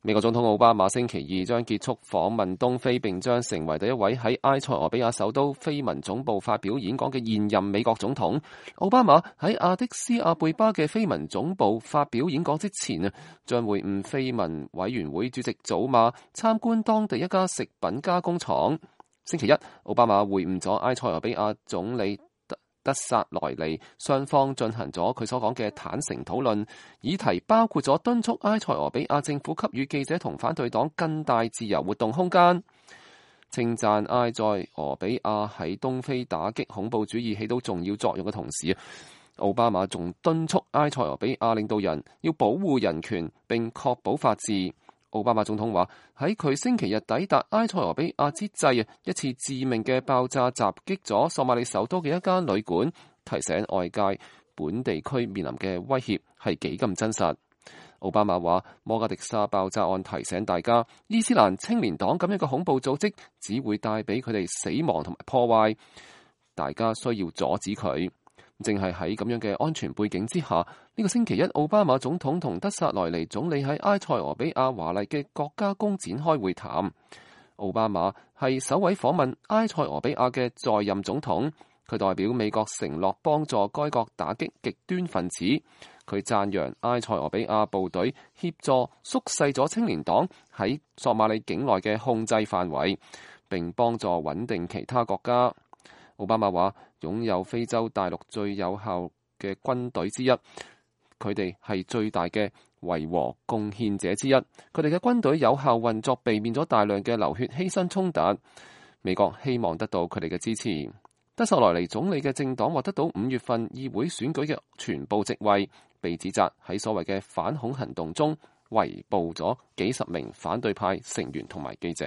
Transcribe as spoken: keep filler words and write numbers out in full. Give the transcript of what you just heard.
美國總統奧巴馬星期二將結束訪問東非，並將成為第一位喺埃塞俄比亞首都非文總部發表演講嘅現任美國總統。奧巴馬喺阿迪斯阿貝巴嘅非文總部發表演講之前啊，將會晤非文委員會主席祖馬，參觀當地一家食品加工廠。星期一，奧巴馬會晤咗埃塞俄比亞總理德薩萊尼，雙方進行咗佢所講嘅坦誠討論，議題包括咗敦促埃塞俄比亞政府給予記者同反對黨更大自由活動空間，稱讚埃塞俄比亞喺東非打擊恐怖主義起到重要作用嘅同時，奧巴馬仲敦促埃塞俄比亞領導人要保護人權並確保法治。奧巴馬總統話喺佢星期日抵達埃塞俄比亞之際，一次致命嘅爆炸襲擊咗索馬里首都嘅一間旅館，提醒外界本地區面臨嘅威脅係幾咁真實。奧巴馬話摩加迪沙爆炸案提醒大家，伊斯蘭青年黨咁樣嘅恐怖組織只會帶俾佢哋死亡同埋破壞，大家需要阻止佢。正係喺咁樣嘅安全背景之下，呢、這個星期一，奧巴馬總統同德薩萊尼總理喺埃塞俄比亞華麗嘅國家宮展開會談。奧巴馬係首位訪問埃塞俄比亞嘅在任總統，佢代表美國承諾幫助該國打擊極端分子。佢讚揚埃塞俄比亞部隊協助縮細咗青年黨喺索馬里境內嘅控制範圍，並幫助穩定其他國家。奧巴馬話擁有非洲大陸最有效嘅軍隊之一，佢哋係最大嘅維和貢獻者之一。佢哋嘅軍隊有效運作，避免咗大量嘅流血犧牲衝突。美國希望得到佢哋嘅支持。德薩萊尼總理嘅政黨獲得到五月份議會選舉嘅全部席位，被指責喺所謂嘅反恐行動中圍捕咗幾十名反對派成員同埋記者。